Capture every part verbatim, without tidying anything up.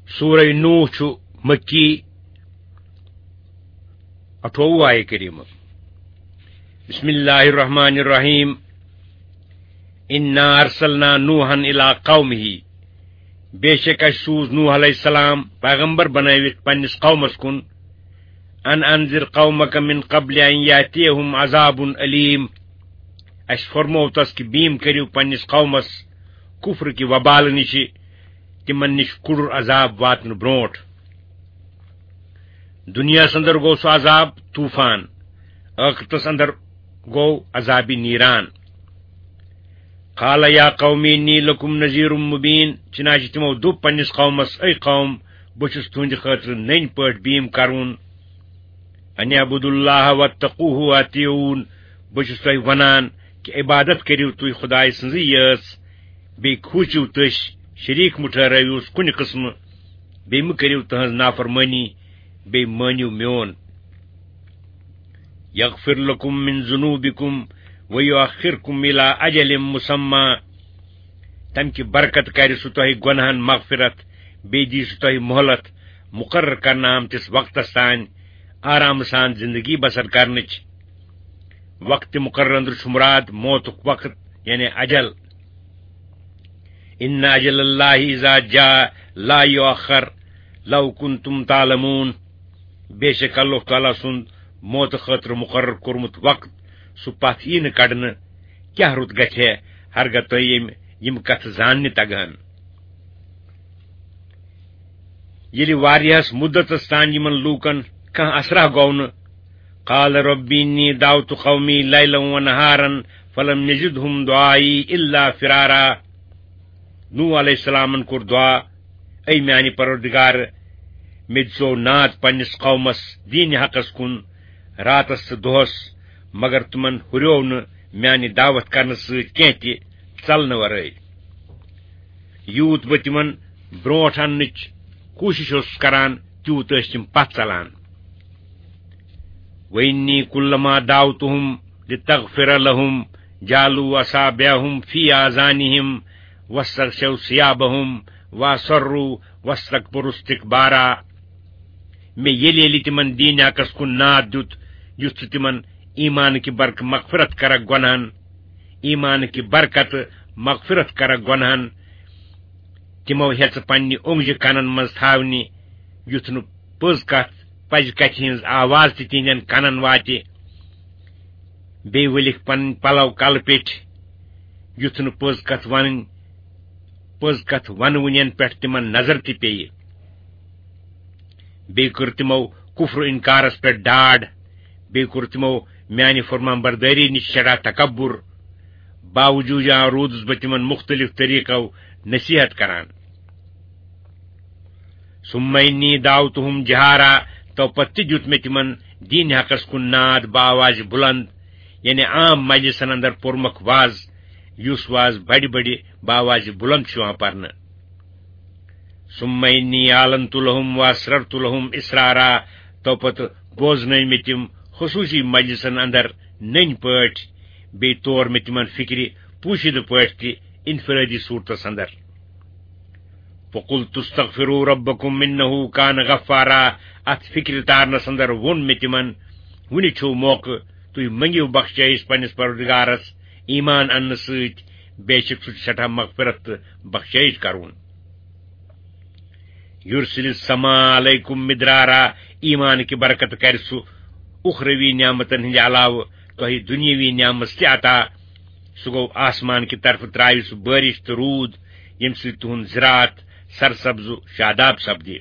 سورہ نوح چھُ مکی، اَٹھووُہ آیہِ کریمہ۔ بسم اللہ الرحمن الرحیم۔ انا ارسلنا نوحا الی قومہ، بے شک اسہِ سوٗز نوح علیہ السلام پیغمبر بنٲوِتھ پننِس قومس کُن۔ ان انذر قومک من قبل ان یاتیہم عذاب الیم۔ اسہِ فرموو تس کہِ بیٖم کٔرِو پننِس قومس کفر کہِ وبالہٕ نِشہِ، تِمن نِش کُڑُر عذاب واتنہٕ برونٹھ۔ دُنیاہس اندر گوٚو سُہ عذاب طوفان، ٲخرتس اندر گوٚو عذابِ نیران۔ قال یا قوم انی لکم نذیر مبین، چنانچہ تِمو دوٚپ پننِس قومس، اے قوم، بہٕ چھُس تُہنٛدِ خٲطرٕ نٔنۍ پٲٹھۍ بیٖم کرون۔ ان اعبدوا اللہ واتقوہ واطیعون، بہٕ چھُس تۄہہِ ونان کہِ عبادت کٔرِو تُہۍ خدایہِ سٕنٛزٕے یٲژ، بیٚیہِ کھوٗژِو تٔسۍ، شریٖک مہٕ ٹھہرٲوِوس کُنہِ قٕسمہٕ، بیٚیہِ مہٕ کٔرِو تٕہٕنٛز نافرمٲنی، بیٚیہِ مٲنِو میون۔ یغفر لکم من ذنوبکم ویؤخرکم الی اجل مسمی، تمہِ کہِ برکت کرِ سُہ تۄہہِ گۄناہن مغفرت، بیٚیہِ دِیہِ سُہ تۄہہِ مۄہلت مقرر کرنہٕ آمتِس وقتس تام آرام سان زندگی بسر کرنٕچ۔ وقت مقرر اندر چھُ مراد موتُک وقت، یعنی اجل۔ ان اجل اللہ اذا جاء لا یؤخر لو کنتم تعلمون۔ بے شک اللہ تعالیٰ سُنٛد موتہٕ خٲطرٕ مقرر کوٚرمُت وقت، سُہ پتھ یی نہٕ کڑنہٕ۔ کیٛاہ رُت گژھِ ہے، ہرگاہ تۄہہِ ییٚمہِ، یِم کتھٕ زاننہِ تگہن۔ ییٚلہِ واریاہس مُدتس تام یِمن لوٗکن کانٛہہ اثرا گوٚو نہٕ، قال رب انی دعوت قومی لیلا و نہارا فلم یزدہم دعائی الا فرارا۔ نوح علیہ السلامن کوٚر دعا، اے میانہِ پروردگار، مےٚ دِژو ناد پننِس قومس دین حقس کُن راتس تہٕ دۄہس، مگر تِمن ہُریو نہٕ میانہِ دعوت کرنہٕ سۭتۍ کینٛہہ تہِ ژلنہٕ ورٲے۔ یوٗت بہٕ تِمن برونٛٹھ اننٕچ کوٗشش اوسُس کران، تیوٗت ٲسۍ تِم پتھ ژلان۔ وَإِنِّي كُلَّمَا دَعَوْتُهُمْ لِتَغْفِرَ لَهُمْ جَعَلُوا أَصَابِعَهُمْ فِي آذَانِهِمْ وَاسْتَغْشَوْا ثِيَابَهُمْ وَأَصَرُّوا وَاسْتَكْبَرُوا اسْتِكْبَارًا۔ مےٚ ییٚلہِ ییٚلہِ تِمن دیٖن حقس کُن ناد دیُت، یُتھ ژٕ تِمن ایمان کہِ برکتہٕ مغفرت کرکھ گۄناہن، ایمان کہِ برکتہٕ مغفرت کرکھ گۄناہن، تِمو ہیژٕ پننہِ اونگجہِ کنن منز تھاونہِ، یُتھ نہٕ پٔز کتھ، پزِ کتھِ ہٕنز آواز تہِ تِہندٮ۪ن کنن واتہِ۔ بییہِ ؤلِکھ پنٕنۍ پلو کلہٕ پیٹھۍ، یُتھ نہٕ پٔز کتھ ونٕنۍ، پٔز کتھ ونہٕ وٕنٮ۪ن پیٹھ تِمن نظر تہِ پییہِ۔ بییہِ کٔر تِمو کفر و انکارس پیٹھ ڈاڈ۔ بییہِ کوٚر تِمو میانہِ فرمان بردٲری نِش سٮ۪ٹھاہ تکبر۔ باوجوٗد یہِ روٗدُس بہٕ تِمن مُختٔلِف طٔریٖقو نصیحت کران۔ ثم انی دعوتہم جہارا، تو پتہٕ تہِ دیُت مےٚ تِمن دیٖن حقس کُن ناد بآوازِ بُلند، یعنی عام مجلسن اندر پوٚرمکھ واز، یُس واز بڑِ بڑِ بآوازِ بُلند چھُ یِوان پرنہٕ۔ ثم انی اعلنت لهم واسررت لهم اسرارا، تو پتہٕ بوزنٲوۍ مےٚ تِم خصوٗصی مجلسن اندر نٔنۍ پٲٹھۍ، بیٚیہِ تور مےٚ تِمن فکرِ پوٗشیدٕ پٲٹھۍ تہِ انفرادی صورتس اندر۔ فقلت استغفروا ربکم انه کان غفارا، اتھ فکرِ تارنس اندر ووٚن مےٚ تِمن، وُنہِ چھُو موقعہٕ، تُہۍ منگِو بخشٲیش پننِس پروردگارس ایمان اننہٕ سۭتۍ، بے شک سُہ چھُ سٮ۪ٹھاہ مغفرت تہٕ بخشٲیش کرون۔ یرسل السماء علیکم مدرارا، ایمان کہِ برکت کرِ سُہ اخروی نعمتن ہٕنٛدِ علاوٕ تۄہہِ دُنیاوی نعمت تہِ عطا۔ سُہ گوٚو آسمان کہِ طرفہٕ ترٛاوِ سُہ بٲرِش تہٕ روٗد، ییٚمہِ سۭتۍ تُہُنٛد زِراعت سرسبز و شاداب سپدِ۔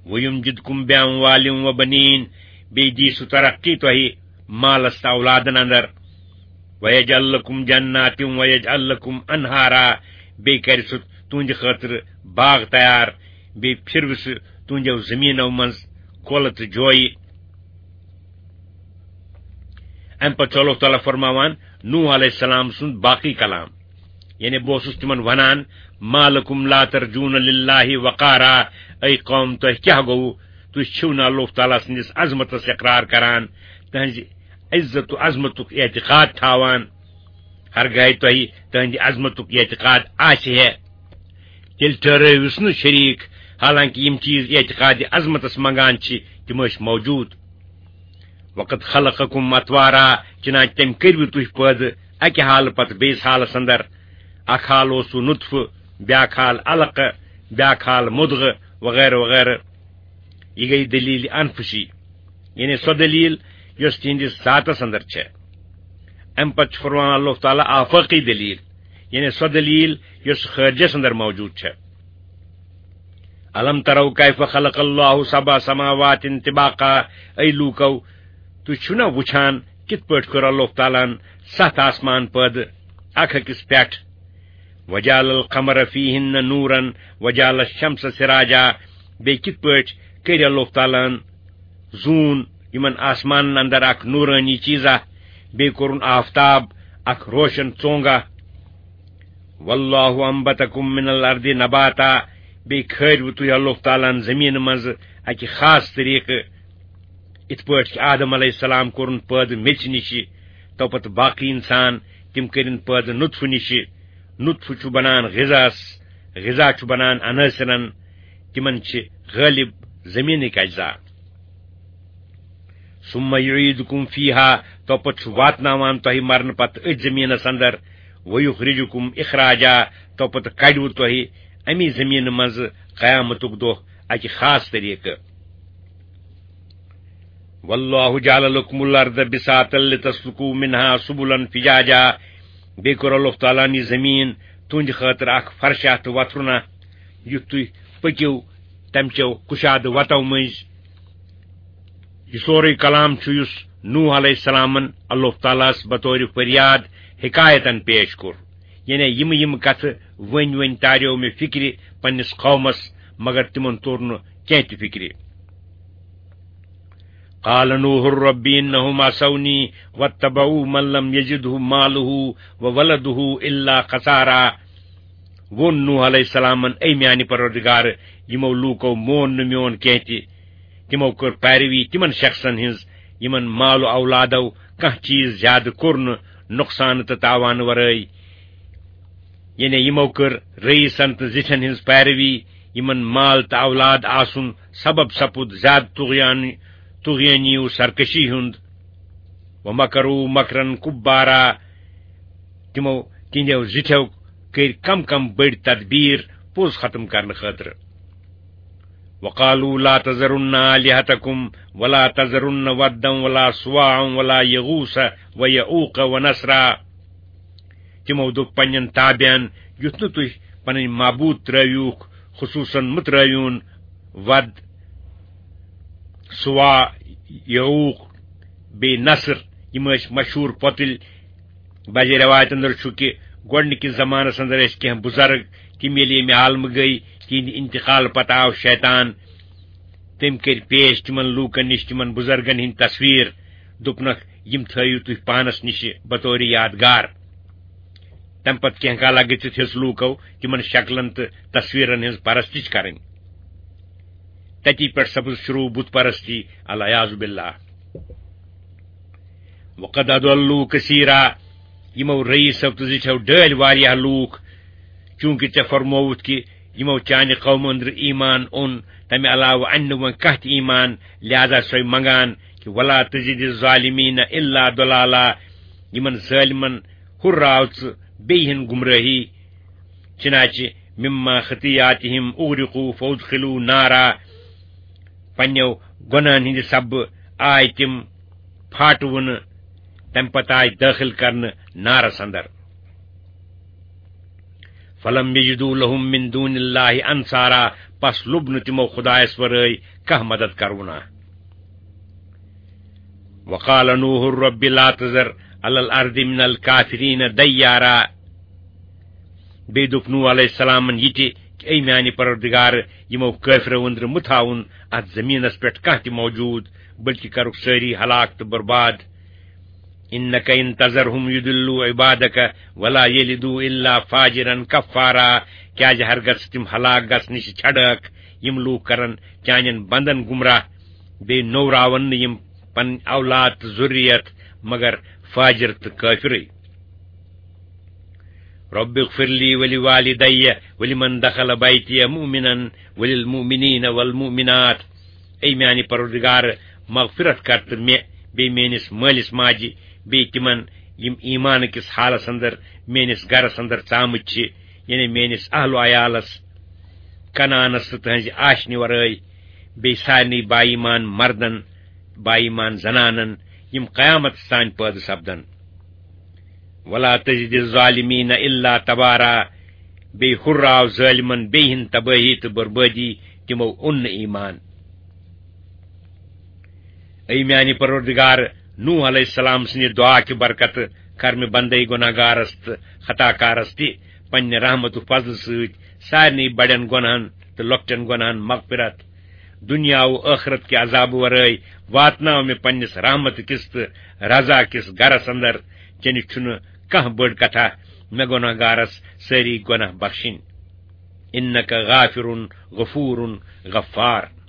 وَيُمْدِدْكُمْ بِأَمْوَالٍ وَبَنِينَ، بیٚیہِ دِیہِ سُہ ترقی تۄہہِ مالس تہٕ اولادن اندر۔ وَيَجْعَلْ لَكُمْ جَنَّاتٍ وَيَجْعَلْ لَكُمْ أَنْهَارًا، بیٚیہِ کرِ سُہ تُہنٛدِ خٲطرٕ باغ تیار، بیٚیہِ پھِروِ سُہ تُہنٛدیو زٔمیٖنو منٛز کۄلہٕ تہٕ جویہِ۔ امہِ پتہٕ چھُ اللہ تعالیٰ فرماوان نوح علیہ السلام سُنٛد باقی کلام، یعنی بہٕ اوسُس تِمن ونان، ما لکم لا ترجون للہ وقارا، اے قوم، تۄہہِ کیٛاہ گوٚوٕ؟ تُہۍ چھِو نہٕ اللہ تعالیٰ سٕنٛدِس عظمتس اقرار کران، تہنٛزِ عزت و عظمتُک اعتقاد تھاوان۔ ہرگاہے تۄہہِ تہنٛدِ عظمتُک اعتقاد آسہِ ہے، تیٚلہِ ٹھٔہرٲوِس نہٕ شریٖک، حالانکہِ یِم چیٖز اعتقادِ عظمتس منٛگان چھِ، تِم ٲسۍ موجوٗد۔ وقد خلقکم اطوارا، چنانچہ تٔمۍ کٔرِوٕ تُہۍ پٲدٕ اکہِ حالہٕ پتہٕ بیٚیِس حالس اندر۔ اکھ حال اوسوٕ نطفہٕ، بیٛاکھ حال علقہٕ، بیٛاکھ حال مُضغہٕ وغیرہ وغیرہ۔ یہِ گٔیہِ دلیٖل انفسی، یعنی سۄ دلیٖل یۄس تِہنٛدِس ذاتس اندر چھےٚ۔ امہِ پتہٕ چھُ فرمان اللہ تعالیٰ آفاقی دلیٖل، یعنی سۄ دلیٖل یۄس خٲرجس اندر موجود چھےٚ۔ الم ترو کیف خلق اللہ سبع سماوات طباقا، اے لوٗکو، تُہۍ چھِو نا وُچھان کِتھ پٲٹھۍ کوٚر اللہ تعالیٰ ہن ستھ آسمان پٲدٕ اکھ أکِس پٮ۪ٹھ؟ وجعل القمر فیہن نورا وجعل الشمس سراجا، بیٚیہِ کِتھ پٲٹھۍ کٔرۍ اللہ تعالیٰ ہن زوٗن یِمن آسمانن اندر اکھ نورانی چیٖزا، بیٚیہِ کوٚرُن آفتاب اکھ روشن ژونگا۔ واللہ انبتکم من الارض نباتا، بیٚیہِ کھٲروٕ تُہۍ اللہ تعالیٰ ہن زٔمیٖنہٕ منٛزٕ اکہِ خاص طریٖقہٕ، یِتھ پٲٹھۍ کہِ آدم علیہ السلام کوٚرُن پٲدٕ میٚژِ نِشہِ، تو پتہٕ باقٕے انسان، تِم کٔرِن پٲدٕ نطفہٕ نِشہِ۔ نطفہٕ چھُ بنان غذاہس، غذا چھُ بنان عناصرن، تِمن چھِ غٲلب زٔمیٖنٕکۍ اجزا۔ ثم یعیدکم فیہا، تو پتہٕ چھُ واتناوان تۄہہِ مرنہٕ پتہٕ أتھۍ زٔمیٖنس اندر، ویخرجکم اخراجا، تو پتہٕ کڑِوٕ تۄہہِ امی زٔمیٖنہٕ منٛزٕ قیامتُک دۄہ اکہِ خاص طریٖقہٕ۔ واللہ جعل لکم الارض بساطا لتسلکوا منہا سبلا فجاجا، بیٚیہِ کوٚر اللہ تعالیٰ ہن یہِ زٔمیٖن تُہنٛدِ خٲطرٕ اکھ فرشاہ تہٕ وتھرُنا، یُتھ تُہۍ پٔکِو تمہِ چیو کُشادٕ وتو مٔنٛزۍ۔ یہِ سورُے کلام چھُ یُس نوح علیہ السلامن اللہ تعالیٰ ہس بطورِ فریاد حکایتن پیش کوٚر، یعنی یِم یِم کتھٕ ؤنۍ ؤنۍ تاریو مےٚ فکرِ پننِس قومس، مگر تِمن توٚر نہٕ کینٛہہ تہِ فکرِ۔ قال نوح رب انهم عصوني واتبعوا من لم يزده ماله وولده الا خسارا۔ ووٚن نوح علیہ السلامن، اے میانہِ پروردگار، یِمو لوٗکو مون نہٕ میون کینٛہہ تہِ، تِمو کٔر پیروی تِمن شخصن ہٕنٛز، یِمن مال و اولادو کانٛہہ چیٖز زیادٕ کوٚر نہٕ نۄقصان تہٕ تاوان ورٲے۔ یعنی یِمو کٔر رئیسن تہٕ زِٹھٮ۪ن ہٕنٛز پیروی، یِمن مال تہٕ اولاد آسُن سبب سپُد زیادٕ طغیان، طغیانی و سرکشی ہُنٛد۔ ومکروا مکرا کبارا، تِمو تِہنٛدیو زِٹھیو کٔرۍ کم کم بٔڑۍ تدبیر پوٚز ختم کرنہٕ خٲطرٕ۔ وقالوا لا تذرن آلهتكم ولا تذرن ودا ولا سواعا ولا يغوث ويعوق ونسرا۔ تِمو دوٚپ پننٮ۪ن تابعن، یُتھ نہٕ تُہۍ پنٕنۍ معبوٗد ترٲوِوکھ، خصوٗصاً مہٕ ترٲوِوُن ود، سوا، یعوق، بیٚیہِ نصر، یِم ٲسۍ مشہوٗر پۄتٕلۍ۔ بعضے رٮ۪وایتن اندر چھُ کہِ گۄڈٕنِکِس زمانس اندر ٲسۍ کینٛہہ بُزرگ، تِم ییٚلہِ ییٚمہِ عالمہٕ گٔے، تِہنٛدِ انتقال پتہٕ آو شیطان، تٔمۍ کٔرۍ پیش تِمن لوٗکن نِش تِمن بُزرگن ہٕنٛدۍ تصویر، دوٚپنکھ، یِم تھٲیِو تُہۍ پانس نِش بطورِ یادگار۔ تمہِ پتہٕ کینٛہہ کالا گٔژھِتھ ہیوٚژھ لوٗکو تِمن شکلن تہٕ تصویرن ہٕنٛز پرستش کرٕنۍ۔ تتی پٮ۪ٹھ سپٕز شروع بت پرستی، العیاذ باللہ۔ وقد اضلوا کثیرا، یِمو رئیسو تہٕ زِٹھیو ڈٲلۍ واریاہ لوٗکھ، چونکہ ژےٚ فرمووُتھ کہِ یِمو چانہِ قومہٕ أنٛدرٕ ایمان اوٚن، تمہِ علاوٕ انہِ نہٕ وۄنۍ کانٛہہ تہِ ایمان، لہذا چھسوے منگان کہِ ولا تزد الظالمین الا ضلالا، یِمن ظٲلمن ہُراو ژٕ بیٚیہِ ہن گمرٲہی۔ چنانچہ مما خطیاتہم اغرقوا فادخلوا نارا، پننیو گۄناہن ہٕنٛدِ سببہٕ آے تِم پھاٹوٕنہٕ، تمہِ پتہٕ آے دٲخل کرنہٕ نارس اندر۔ فلم یجدوا لهم من دون اللہ انصارا، پس لوٚب نہٕ تِمو خدایس ورٲے کانٛہہ مدد کرونہ۔ وقال نوح رب لا تذر علی الارض من الکافرین دیارا۔ بیٚیہِ دوٚپ نوح علیہ السلامن یہِ تہِ کہِ، اے میانہِ پروردگار، یِمو کٲفرو أنٛدرٕ مہٕ تھاوُن اتھ زمینس پٮ۪ٹھ کانٛہہ تہِ موجود، بلکہِ کرُکھ سٲری ہلاک تہٕ برباد۔ انک ان تذرهم یضلوا عبادک ولا یلدوا الا فاجرا کفارا، کیازِ ہرگز تِم ہلاک گژھنہٕ نِش چھڑاکھ، یِم لوٗکھ کرن چانٮ۪ن بندن گمراہ، بیٚیہِ نوراون نہٕ یِم پنٕنۍ اولاد تہٕ ذُریت مگر فاجر تہٕ کٲفرٕے۔ رب اغفر لی ولی والدی ولی من دخل بیتی مؤمنا ولی المؤمنین والمؤمنات۔ اے میانہِ پروردگار، مغفرت کر تہٕ مےٚ، بیٚیہِ میٲنِس مٲلِس ماجہِ، بیٚیہِ تِمن یِم ایمان کِس حالس اندر میٲنِس گرس اندر ژامٕتۍ چھِ، یعنی میٲنِس اہل و عیالس، کنانس تہٕ تہنزِ آشنہِ ورٲے، بیٚیہِ سارنٕے با ایمان مردن، با ایمان زنانن، یِم قیامت تام پٲدٕ سپدن۔ ولا تزد الظالمین الا تبارا، بیٚیہِ ہُرراو ظٲلمن بیٚیہِ ہن تبٲہی تہٕ بربٲدی، تِمو اوٚن نہٕ ایمان۔ اے میانہِ پروردگار، نوح علیہ السلام سٕنٛدِ دعا کہِ برکتہٕ کر مےٚ بندے گناہگارس تہٕ خطا کارس تہِ پننہِ رحمت و فضلہٕ سۭتۍ سارنٕے بڑٮ۪ن گۄنہن تہٕ لۄکٹٮ۪ن گۄنہن مغفرت۔ دنیا و ٲخرت کہِ عذابہٕ ورٲے واتناو مےٚ پننِس رحمت کِس تہٕ رضا کِس گرس اندر، چنہِ چھُنہٕ کانٛہہ بٔڑ کتھا مےٚ گۄناہگارس سٲری گۄناہ بخشِنۍ۔ انک غافر غفور غفار۔